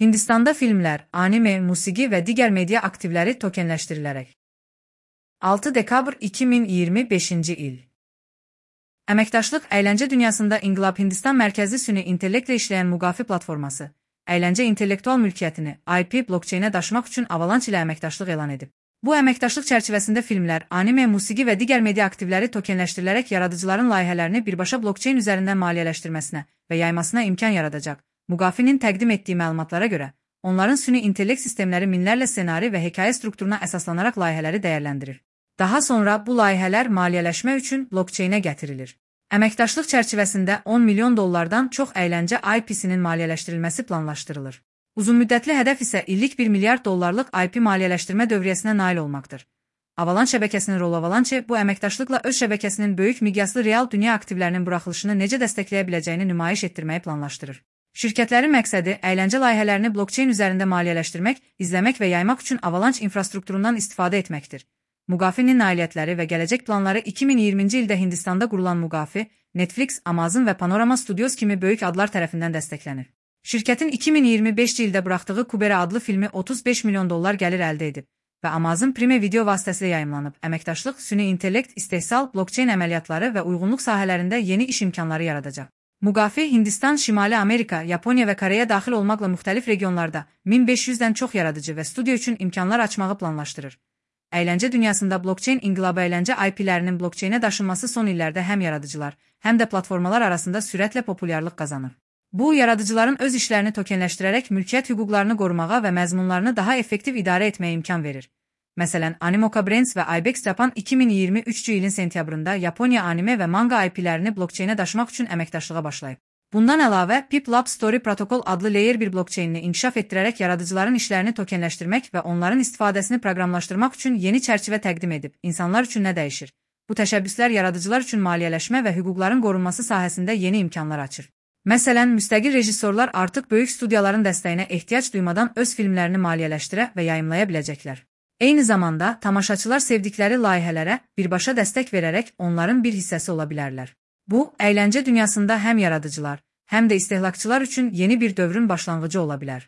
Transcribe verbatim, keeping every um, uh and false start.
Hindistanda filmlər, anime, musiqi və digər media aktivləri tokenləşdirilərək. altı dekabr iki min iyirmi beşinci il. Əməkdaşlıq əyləncə dünyasında İnqilab Hindistan mərkəzli süni intellektlə işləyən Mugafi platforması, əyləncə intellektual mülkiyyətini I P blockchainə daşımaq üçün Avalanche ilə əməkdaşlıq elan edib. Bu əməkdaşlıq çərçivəsində filmlər, anime, musiqi və digər media aktivləri tokenləşdirilərək yaradıcıların layihələrini birbaşa blockchain üzərindən maliyyələşdirməsinə və yaymasına imkan yaradacaq. Mugafinin təqdim etdiyi məlumatlara görə, onların süni intellekt sistemləri minlərlə ssenari və hekayə strukturuna əsaslanaraq layihələri dəyərləndirir. Daha sonra bu layihələr maliyyələşmə üçün blockchainə gətirilir. Əməkdaşlıq çərçivəsində on milyon dollardan çox əyləncə I P-sinin maliyyələşdirilməsi planlaşdırılır. Uzunmüddətli hədəf isə illik bir milyard dollarlıq I P maliyyələşdirmə dövriyyəsinə nail olmaqdır. Avalanche şəbəkəsinin rolu Avalanche bu əməkdaşlıqla öz şəbəkəsinin böyük miqyaslı real dünya aktivlərinin buraxılışını necə dəstəkləyə biləcəyini nümayiş etdirməyi planlaşdırır. Şirkətlərin məqsədi əyləncə layihələrini blockchain üzərində maliyyələşdirmək, izləmək və yaymaq üçün Avalanche infrastrukturundan istifadə etməkdir. Mugafinin nailiyyətləri və gələcək planları iki min iyirminci ildə Hindistanda qurulan Mugafi, Netflix, Amazon və Panorama Studios kimi böyük adlar tərəfindən dəstəklənir. Şirkətin iki min iyirmi beşinci ildə buraxdığı Kubera adlı filmi otuz beş milyon dollar gəlir əldə edib və Amazon Prime video vasitəsilə yayımlanıb. Əməkdaşlıq süni intellekt, istehsal, blockchain əməliyyatları və uyğunluq sahələrində yeni iş imkanları yaradacaq. Mugafi, Hindistan, Şimali Amerika, Yaponiya və Koreya daxil olmaqla müxtəlif regionlarda min beş yüzdən çox yaradıcı və studiyo üçün imkanlar açmağı planlaşdırır. Əyləncə dünyasında blockchain inqilabı əyləncə I P-lərinin blockchainə daşınması son illərdə həm yaradıcılar, həm də platformalar arasında sürətlə populyarlıq qazanır. Bu, yaradıcıların öz işlərini tokenləşdirərək mülkiyyət hüquqlarını qorumağa və məzmunlarını daha effektiv idarə etməyə imkan verir. Məsələn, Animoca Brands və Ibex Japan iki min iyirmi üçüncü ilin sentyabrında Yaponiya anime və manga I P-lərini blockchainə daşımaq üçün əməkdaşlığa başlayıb. Bundan əlavə, Pip Lab Story Protocol adlı Layer bir blockchainini inkişaf etdirərək yaradıcıların işlərini tokenləşdirmək və onların istifadəsini proqramlaşdırmaq üçün yeni çərçivə təqdim edib. İnsanlar üçün nə dəyişir? Bu təşəbbüslər yaradıcılar üçün maliyyələşmə və hüquqların qorunması sahəsində yeni imkanlar açır. Məsələn, müstəqil rejissorlar artıq böyük studiyaların dəstəyinə ehtiyac duymadan öz filmlərini maliyyələşdirə və yayımlaya biləcəklər. Eyni zamanda, tamaşaçılar sevdikləri layihələrə birbaşa dəstək verərək onların bir hissəsi ola bilərlər. Bu, əyləncə dünyasında həm yaradıcılar, həm də istehlakçılar üçün yeni bir dövrün başlanğıcı ola bilər.